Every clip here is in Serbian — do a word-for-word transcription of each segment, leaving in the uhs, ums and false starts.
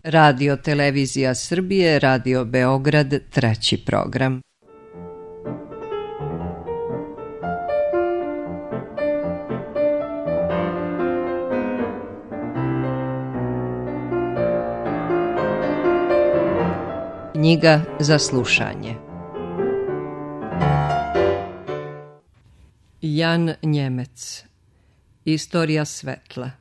Radio Televizija Srbije, Radio Beograd, treći program. Knjiga za slušanje. Jan Njemec. Istorija svetla.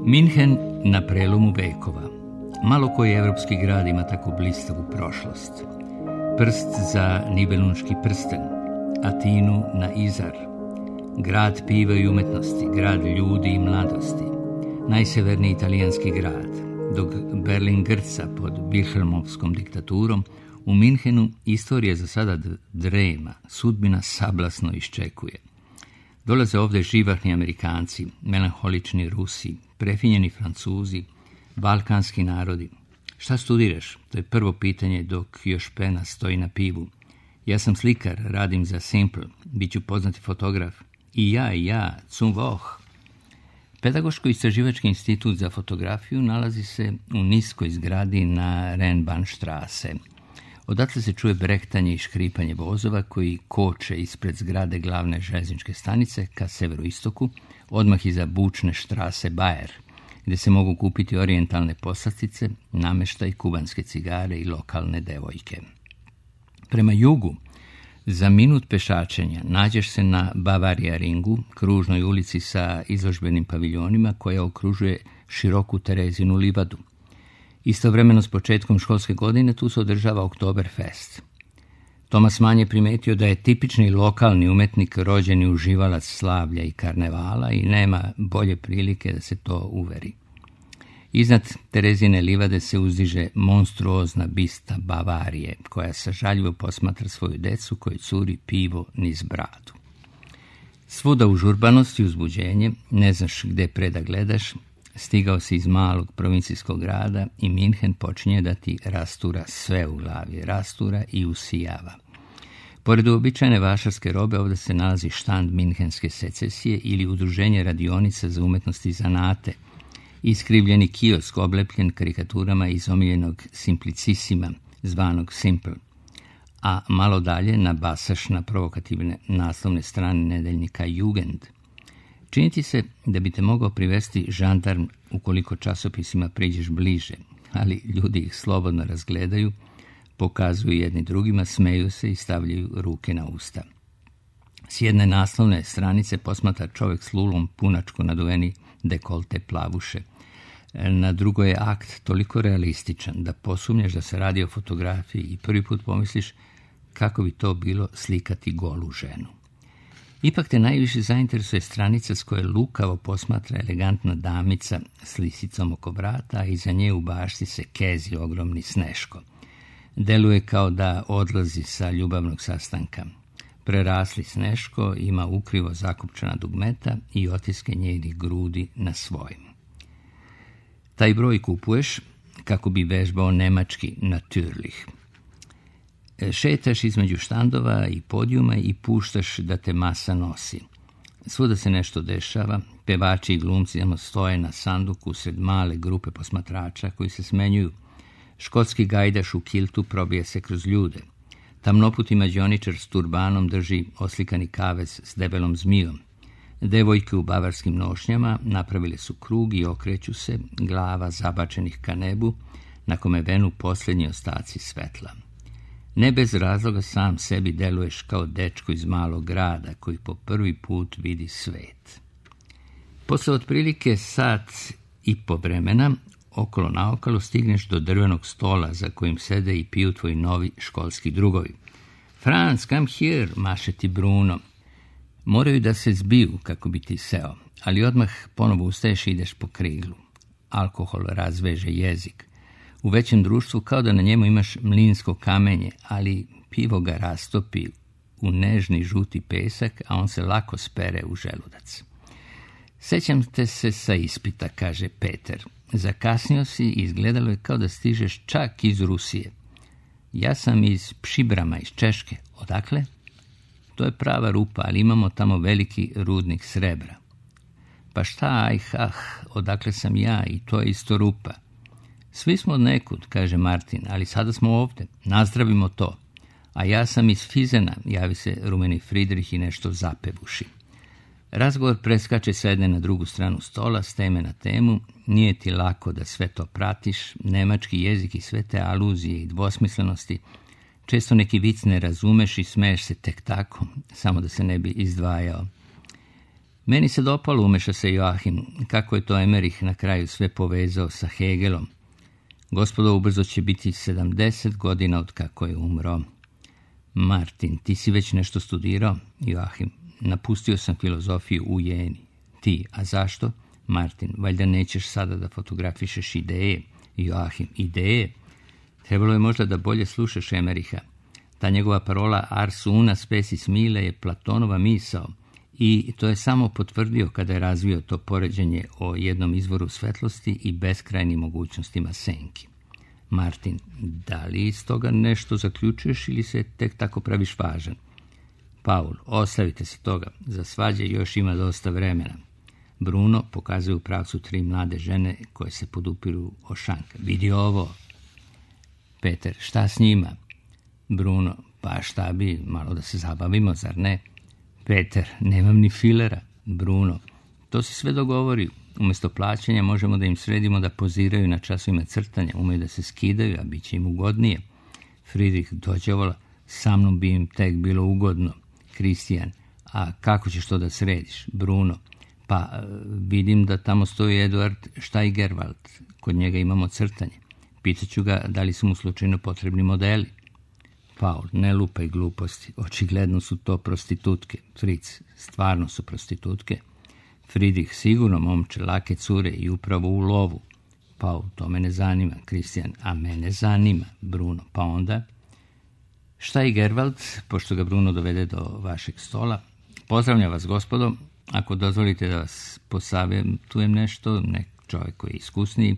Minhen na prelomu vekova. Malo koji evropski grad ima tako blistavu prošlost. Prst za Nibelunški prsten, Atinu na Izar, grad piva i umetnosti, grad ljudi i mladosti, najseverniji italijanski grad, dok Berlin grca pod Wilhelmovskom diktaturom, u Minhenu istorija za sada drema, sudbina sablasno iščekuje. Dolaze ovdje živahni Amerikanci, melanholični Rusi, prefinjeni Francuzi, balkanski narodi. Šta studiraš? To je prvo pitanje dok još pena stoji na pivu. Ja sam slikar, radim za Simple, bit ću poznati fotograf. I ja, i ja, zum Woch. Pedagoško-istraživački institut za fotografiju nalazi se u niskoj zgradi na Rennbahnstrasse. Odatle se čuje brehtanje i škripanje vozova koji koče ispred zgrade glavne željezničke stanice ka severoistoku, odmah iza bučne štrase Bayer, gdje se mogu kupiti orijentalne poslastice, namještaj, kubanske cigare i lokalne devojke. Prema jugu, za minut pešačenja nađeš se na Bavaria ringu, kružnoj ulici sa izložbenim paviljonima koja okružuje široku Terezinu livadu. Istovremeno s početkom školske godine tu se održava Oktoberfest. Thomas Mann je primetio da je tipični lokalni umetnik rođeni uživalac slavlja i karnevala i nema bolje prilike da se to uveri. Iznad Terezine livade se uzdiže monstruozna bista Bavarije, koja sažaljivo posmatra svoju decu koji curi pivo niz bradu. Svuda užurbanost i uzbuđenje, ne znaš gde pre da gledaš, stigao si iz malog provincijskog grada i Minhen počinje da ti rastura sve u glavi, rastura i usijava. Pored uobičajene vašarske robe ovdje se nalazi štand Minhenske secesije ili udruženje radionica za umetnosti i zanate, iskrivljeni kiosk oblepljen karikaturama iz omiljenog Simplicisima, zvanog Simple, a malo dalje na basaš na provokativne naslovne strane nedeljnika Jugend. Činiti se da bi te mogao privesti žandarm ukoliko časopisima priđeš bliže, ali ljudi ih slobodno razgledaju, pokazuju jedni drugima, smeju se i stavljaju ruke na usta. S jedne naslovne stranice posmatra čovjek s lulom punačku naduveni dekolte plavuše. Na drugoj je akt toliko realističan da posumnjaš da se radi o fotografiji i prvi put pomisliš kako bi to bilo slikati golu ženu. Ipak te najviše zainteresuje stranica s koje lukavo posmatra elegantna damica s lisicom oko vrata, a iza nje u bašti se kezi ogromni Sneško. Deluje kao da odlazi sa ljubavnog sastanka. Prerasli Sneško ima ukrivo zakopčana dugmeta i otiske njenih grudi na svojim. Taj broj kupuješ kako bi vežbao nemački natürlich. Šetaš između štandova i podijuma i puštaš da te masa nosi. Svuda se nešto dešava, pevači i glumci stoje na sanduku sred male grupe posmatrača koji se smenjuju. Škotski gajdaš u kiltu probije se kroz ljude. Tamnoputi mađioničar s turbanom drži oslikani kavez s debelom zmijom. Devojke u bavarskim nošnjama napravile su krug i okreću se, glava zabačenih ka nebu, na kome venu posljednji ostaci svetla. Ne bez razloga sam sebi deluješ kao dečko iz malog grada koji po prvi put vidi svet. Posle otprilike sat i po vremena, okolo naokolo stigneš do drvenog stola za kojim sede i piju tvoji novi školski drugovi. Franz, come here, maše ti Bruno. Moraju da se zbiju kako bi ti seo, ali odmah ponovo ustaješ i ideš po kriglu. Alkohol razveže jezik. U većem društvu kao da na njemu imaš mlinsko kamenje, ali pivo ga rastopi u nežni žuti pesak, a on se lako spere u želudac. Sećam te se sa ispita, kaže Peter. Zakasnio si i izgledalo je kao da stižeš čak iz Rusije. Ja sam iz Pšibrama, iz Češke. Odakle? To je prava rupa, ali imamo tamo veliki rudnik srebra. Pa šta, aj, ah, odakle sam ja i to je isto rupa. Svi smo od nekud, kaže Martin, ali sada smo ovdje, nazdravimo to. A ja sam iz Fizena, javi se rumeni Fridrih i nešto zapevuši. Razgovor preskače s jedne na drugu stranu stola, s teme na temu. Nije ti lako da sve to pratiš, nemački jezik i sve te aluzije i dvosmislenosti. Često neki vic ne razumeš i smeješ se tek tako, samo da se ne bi izdvajao. Meni se dopalo, umeša se Joachim, kako je to Emerich na kraju sve povezao sa Hegelom. Gospodo, ubrzo će biti sedamdeset godina od kako je umro. Martin, ti si već nešto studirao? Joachim, napustio sam filozofiju u Jeni. Ti, a zašto? Martin, valjda nećeš sada da fotografišeš ideje. Joachim, ideje? Trebalo je možda da bolje slušaš Emericha. Ta njegova parola ars una species mille je Platonova misao i to je samo potvrdio kada je razvio to poređenje o jednom izvoru svetlosti i beskrajnim mogućnostima senki. Martin, da li iz toga nešto zaključuješ ili se tek tako praviš važan? Paul, ostavite se toga, za svađe još ima dosta vremena. Bruno pokazuje u pravcu tri mlade žene koje se podupiru o šanka. Vidi ovo. Peter, šta s njima? Bruno, pa šta bi, malo da se zabavimo, zar ne? Peter, nemam ni filera. Bruno, to se sve dogovori. Umjesto plaćanja možemo da im sredimo da poziraju na časovima crtanja, umeju da se skidaju, a bit će im ugodnije. Friedrich, dođe vola, sa mnom bi im tek bilo ugodno. Kristijan, a kako ćeš to da središ? Bruno, pa vidim da tamo stoji Eduard Steigerwald, kod njega imamo crtanje. Pitaću ga da li su mu slučajno potrebni modeli. Paul, ne lupaj gluposti, očigledno su to prostitutke. Fritz, stvarno su prostitutke. Friedrich, sigurno momče, lake cure i upravo u lovu. Paul, to mene zanima. Kristijan, a mene zanima. Bruno, pa onda? Steigerwald, pošto ga Bruno dovede do vašeg stola, pozdravlja vas, gospodo. Ako dozvolite da vas posavjetujem nešto, nek čovjek koji je iskusniji,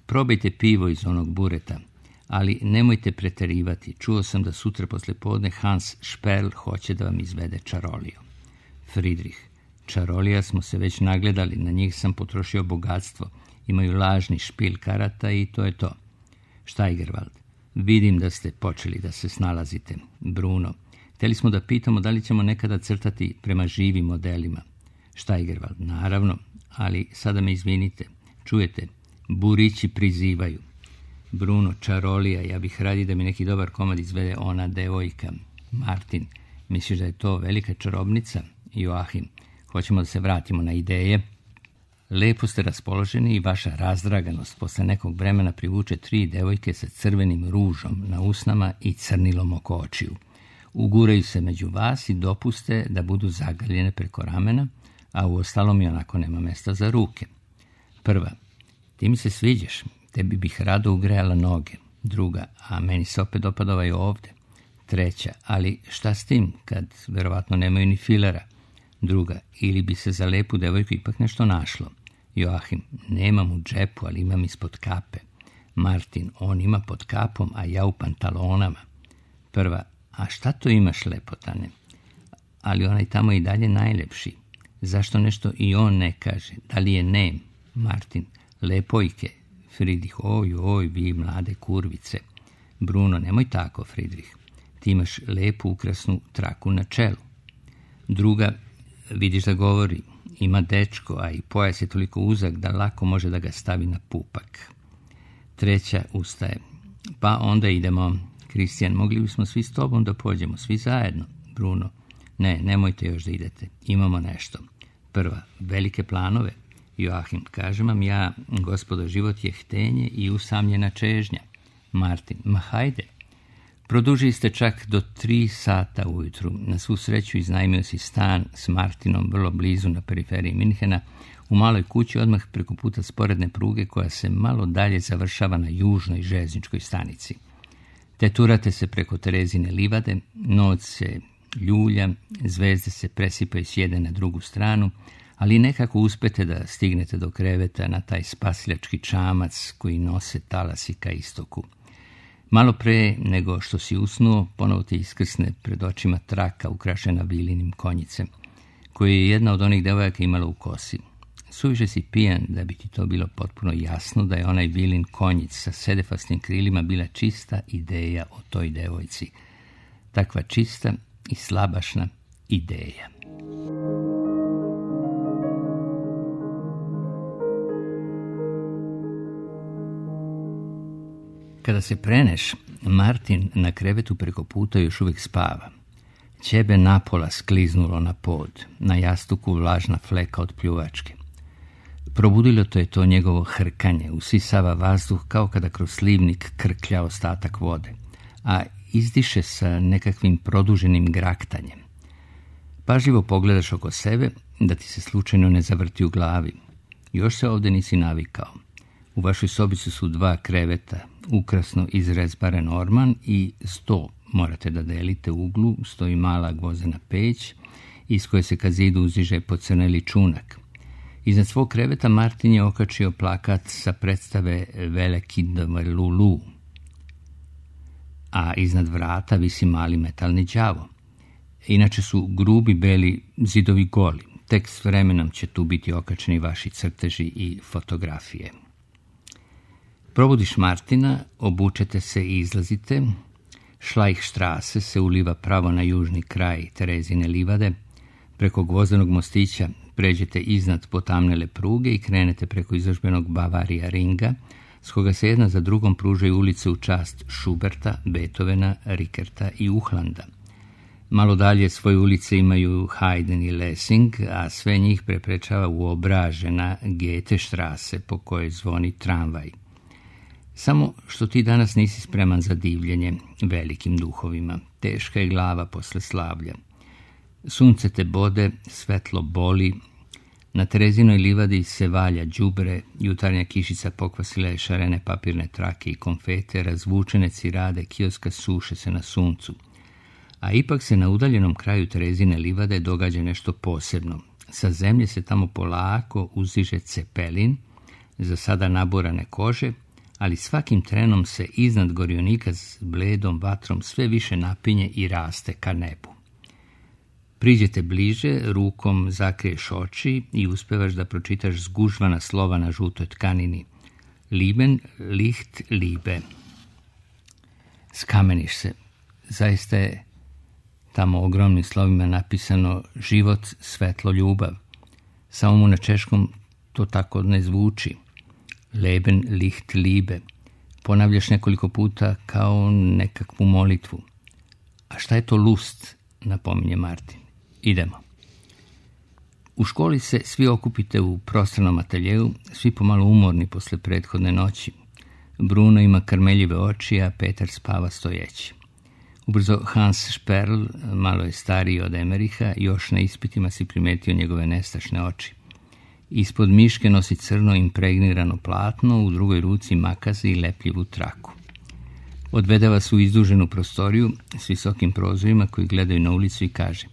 probajte pivo iz onog bureta, ali nemojte preterivati. Čuo sam da sutra posle podne Hans Sperl hoće da vam izvede čaroliju. Friedrich, čarolija smo se već nagledali, na njih sam potrošio bogatstvo. Imaju lažni špil karata i to je to. Steigerwald, vidim da ste počeli da se snalazite. Bruno, htjeli smo da pitamo da li ćemo nekada crtati prema živim modelima. Steigerwald, naravno, ali sada me izvinite. Čujete, burići prizivaju. Bruno, čarolija, ja bih radi da mi neki dobar komad izvede ona devojka. Martin, misliš da je to velika čarobnica? Joachim, hoćemo da se vratimo na ideje. Lepo ste raspoloženi i vaša razdraganost posle nekog vremena privuče tri devojke sa crvenim ružom na usnama i crnilom oko očiju. Uguraju se među vas i dopuste da budu zagaljene preko ramena, a u ostalom i onako nema mesta za ruke. Prva, ti mi se sviđaš, tebi bih rado ugrejala noge. Druga, a meni se opet dopada ovaj ovde. Treća, ali šta s tim, kad verovatno nemaju ni filera? Druga, ili bi se za lepu devojku ipak nešto našlo. Joachim, nemam u džepu, ali imam ispod kape. Martin, on ima pod kapom, a ja u pantalonama. Prva, a šta to imaš, lepotane? Ali onaj tamo i dalje najlepši. Zašto nešto i on ne kaže? Da li je nem? Martin, lepojke. Friedrich, oj, oj, vi mlade kurvice. Bruno, nemoj tako, Friedrich. Ti imaš lepu ukrasnu traku na čelu. Druga, vidiš da govori, ima dečko, a i pojas je toliko uzak da lako može da ga stavi na pupak. Treća ustaje. Pa onda idemo. Kristijan, mogli bismo svi s tobom da pođemo, svi zajedno. Bruno, ne, nemojte još da idete, imamo nešto. Prva, velike planove. Joachim, kažem vam ja, gospodo, život je htenje i usamljena čežnja. Martin, ma hajde. Produžili ste čak do tri sata ujutru. Na svu sreću iznajmio si stan s Martinom vrlo blizu na periferiji Minhena, u maloj kući odmah preko puta sporedne pruge koja se malo dalje završava na južnoj željezničkoj stanici. Teturate se preko Terezine livade, noć se ljulja, zvezde se presipaju s jedne na drugu stranu, ali nekako uspete da stignete do kreveta na taj spasilački čamac koji nose talasi ka istoku. Malo pre nego što si usnuo, ponovo ti iskrsne pred očima traka ukrašena vilinim konjicem, koju je jedna od onih devojaka imala u kosi. Suviše si pijan da bi ti to bilo potpuno jasno da je onaj vilin konjic sa sedefasnim krilima bila čista ideja o toj devojci. Takva čista i slabašna ideja. Kada se preneš, Martin na krevetu preko puta još uvijek spava. Ćebe napola skliznulo na pod, na jastuku vlažna fleka od pljuvačke. Probudilo to je to njegovo hrkanje, usisava vazduh kao kada kroz slivnik krklja ostatak vode, a izdiše sa nekakvim produženim graktanjem. Pažljivo pogledaš oko sebe da ti se slučajno ne zavrti u glavi. Još se ovdje nisi navikao. U vašoj sobici su dva kreveta, ukrasno izrezbaren orman i sto morate da delite u uglu, stoji mala gvozdena peć iz koje se kad zidu uziže pocrneli čunak. Iznad svog kreveta Martin je okačio plakat sa predstave Veliki Lulu, a iznad vrata visi mali metalni đavo. Inače su grubi beli zidovi goli, tek s vremenom će tu biti okačeni vaši crteži i fotografije. Probudiš Martina, obučete se i izlazite. Šlajhštrase se uliva pravo na južni kraj Terezine livade. Preko gvozdenog mostića pređete iznad potamnele pruge i krenete preko izložbenog Bavarija ringa, s koga se jedna za drugom pružaju ulice u čast Schuberta, Beethovena, Rickerta i Uhlanda. Malo dalje svoje ulice imaju Haydn i Lessing, a sve njih preprečava uobražena Goethestrasse po kojoj zvoni tramvaj. Samo što ti danas nisi spreman za divljenje velikim duhovima. Teška je glava posle slavlja. Sunce te bode, svetlo boli. Na Terezinoj livadi se valja đubre, jutarnja kišica pokvasila je šarene papirne trake i konfete, razvučene cirade kioska suše se na suncu. A ipak se na udaljenom kraju Terezine livade događa nešto posebno. Sa zemlje se tamo polako uzdiže cepelin, za sada naborane kože, ali svakim trenom se iznad gorionika s bledom vatrom sve više napinje i raste ka nebu. Priđete bliže, rukom zakriješ oči i uspevaš da pročitaš zgužvana slova na žutoj tkanini. Lieben, Licht, Liebe. Skameniš se. Zaista je tamo ogromnim slovima napisano život, svetlo, ljubav. Samo mu na češkom to tako ne zvuči. Leben, Licht, Liebe. Ponavljaš nekoliko puta kao nekakvu molitvu. A šta je to lust, napominje Martin. Idemo. U školi se svi okupite u prostranom ateljeu, svi pomalo umorni posle prethodne noći. Bruno ima karmeljive oči, a Petar spava stojeći. Ubrzo Hans Sperl, malo je stariji od Emeriha, još na ispitima si primetio njegove nestašne oči. Ispod miške nosi crno impregnirano platno, u drugoj ruci makaze i lepljivu traku. Odvede vas u izduženu prostoriju s visokim prozorima koji gledaju na ulicu i kaže: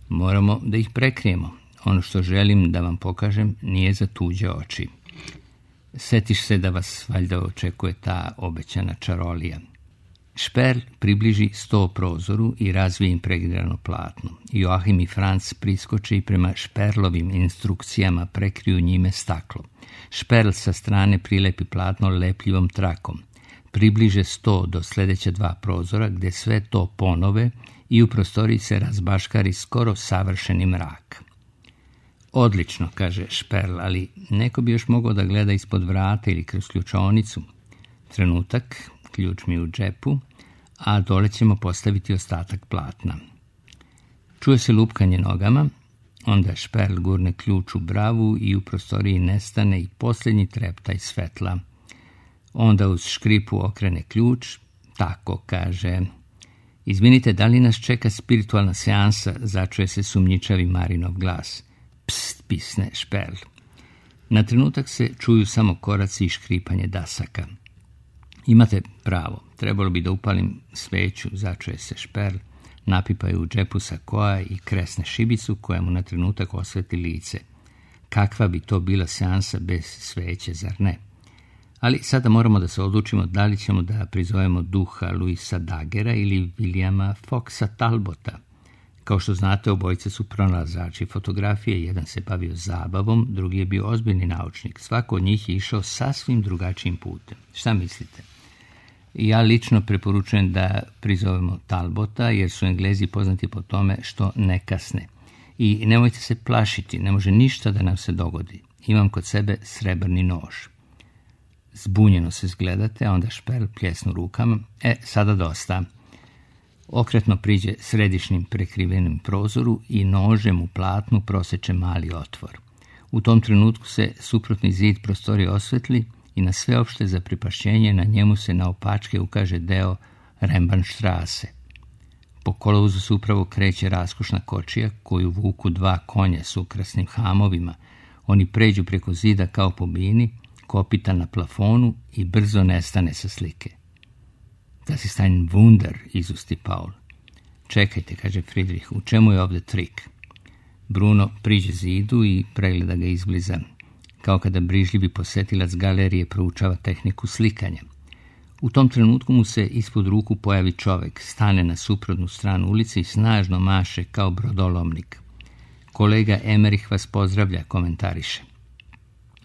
moramo da ih prekrijemo. Ono što želim da vam pokažem nije za tuđe oči. Setiš se da vas valjda očekuje ta obećana čarolija. Šperl približi sto prozoru i razvije impregnirano platno. Joachim i Franz priskoče i prema Šperlovim instrukcijama prekriju njime staklo. Šperl sa strane prilepi platno lepljivom trakom. Približe sto do sljedeća dva prozora gdje sve to ponove i u prostoriji se razbaškari skoro savršeni mrak. Odlično, kaže Šperl, ali neko bi još mogao da gleda ispod vrata ili kroz ključaonicu. Trenutak, ključ mi u džepu, a dole ćemo postaviti ostatak platna. Čuje se lupkanje nogama, onda Šperl gurne ključ u bravu i u prostoriji nestane i posljednji treptaj svetla. Onda uz škripu okrene ključ, tako kaže: izvinite, da li nas čeka spiritualna seansa, začuje se sumnjičavi Marinov glas. Pst, pisne Šperl. Na trenutak se čuju samo koraci i škripanje dasaka. Imate pravo, trebalo bi da upalim sveću, začuje se Šperl, napipaju u džepu sakoa i kresne šibicu koja mu na trenutak osveti lice. kakva bi to bila seansa bez sveće, zar ne? Ali sada moramo da se odlučimo da li ćemo da prizovemo duha Louisa Daggera ili Williama Foxa Talbota. Kao što znate, obojice su pronalazači fotografije, jedan se bavio zabavom, drugi je bio ozbiljni naučnik. Svako od njih je išao sasvim drugačijim putem. Šta mislite? Ja lično preporučujem da prizovemo Talbota, jer su Englezi poznati po tome što ne kasne. I nemojte se plašiti, ne može ništa da nam se dogodi. Imam kod sebe srebrni nož. Zbunjeno se zgledate, a onda Šperl pljesnu rukama. E, sada dosta. Okretno priđe središnjim prekrivenim prozoru i nožem u platnu proseče mali otvor. U tom trenutku se suprotni zid prostorije osvetli i na sveopšte zaprepašćenje na njemu se naopačke ukaže deo Rembanštrase. Po kolovozu se upravo kreće raskošna kočija koju vuku dva konja s ukrasnim hamovima. Oni pređu preko zida kao po bini, kopita na plafonu i brzo nestane sa slike. Das ist ein Wunder, izusti Paul. Čekajte, kaže Friedrich, u čemu je ovdje trik? Bruno priđe zidu i pregleda ga izbliza, kao kada brižljivi posetilac galerije proučava tehniku slikanja. U tom trenutku mu se ispod ruku pojavi čovek, stane na suprotnu stranu ulice i snažno maše kao brodolomnik. Kolega Emerich vas pozdravlja, komentariše.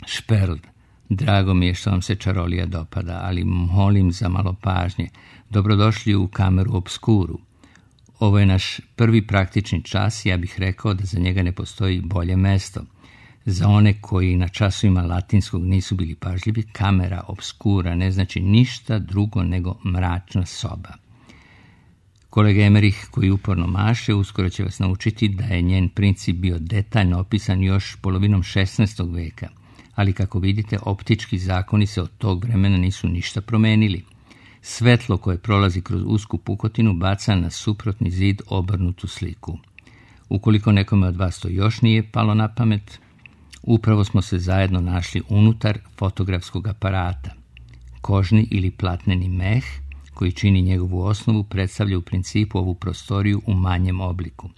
Šperl, drago mi je što vam se čarolija dopada, ali molim za malo pažnje. Dobrodošli u kameru obskuru. Ovo je naš prvi praktični čas, ja bih rekao da za njega ne postoji bolje mesto. Za one koji na časovima latinskog nisu bili pažljivi, kamera obskura ne znači ništa drugo nego mračna soba. Kolega Emerich, koji uporno maše, uskoro će vas naučiti da je njen princip bio detaljno opisan još polovinom šesnaestog veka, ali kako vidite, optički zakoni se od tog vremena nisu ništa promenili. Svetlo koje prolazi kroz usku pukotinu baca na suprotni zid obrnutu sliku. Ukoliko nekome od vas to još nije palo na pamet, upravo smo se zajedno našli unutar fotografskog aparata. Kožni ili platneni meh, koji čini njegovu osnovu, predstavlja u principu ovu prostoriju u manjem obliku.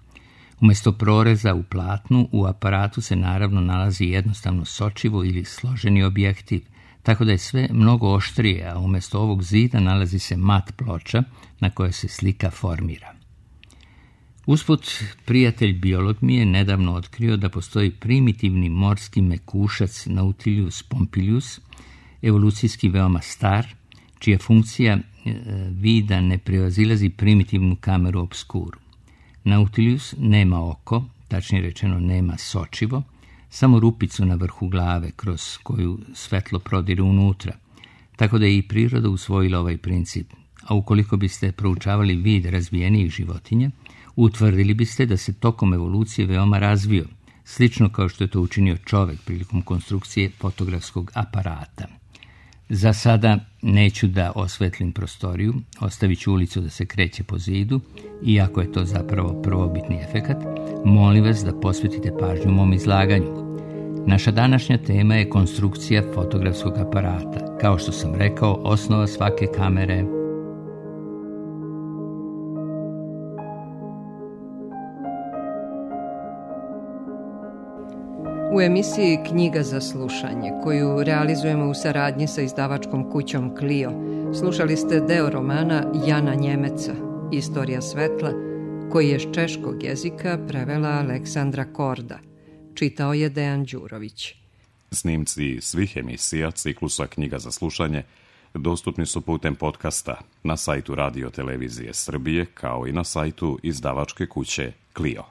Umjesto proreza u platnu, u aparatu se naravno nalazi jednostavno sočivo ili složeni objektiv, tako da je sve mnogo oštrije, a umjesto ovog zida nalazi se mat ploča na kojoj se slika formira. Usput, prijatelj biolog mi je nedavno otkrio da postoji primitivni morski mekušac Nautilus pompilius, evolucijski veoma star, čija funkcija e, vida ne prevazilazi primitivnu kameru obskuru. Nautilus nema oko, tačnije rečeno nema sočivo, samo rupicu na vrhu glave kroz koju svetlo prodire unutra, tako da je i priroda usvojila ovaj princip. A ukoliko biste proučavali vid razvijenijih životinja, utvrdili biste da se tokom evolucije veoma razvio, slično kao što je to učinio čovek prilikom konstrukcije fotografskog aparata. Za sada neću da osvetlim prostoriju, ostavit ću ulicu da se kreće po zidu, iako je to zapravo prvobitni efekat, molim vas da posvetite pažnju mom izlaganju. Naša današnja tema je konstrukcija fotografskog aparata. Kao što sam rekao, osnova svake kamere. U emisiji Knjiga za slušanje, koju realizujemo u saradnji sa izdavačkom kućom Clio, slušali ste deo romana Jana Njemeca, Istorija svetla, koji je s češkog jezika prevela Aleksandra Korda. Čitao je Dejan Đurović. Snimci svih emisija ciklusa Knjiga za slušanje dostupni su putem podcasta na sajtu Radio Televizije Srbije, kao i na sajtu izdavačke kuće Clio.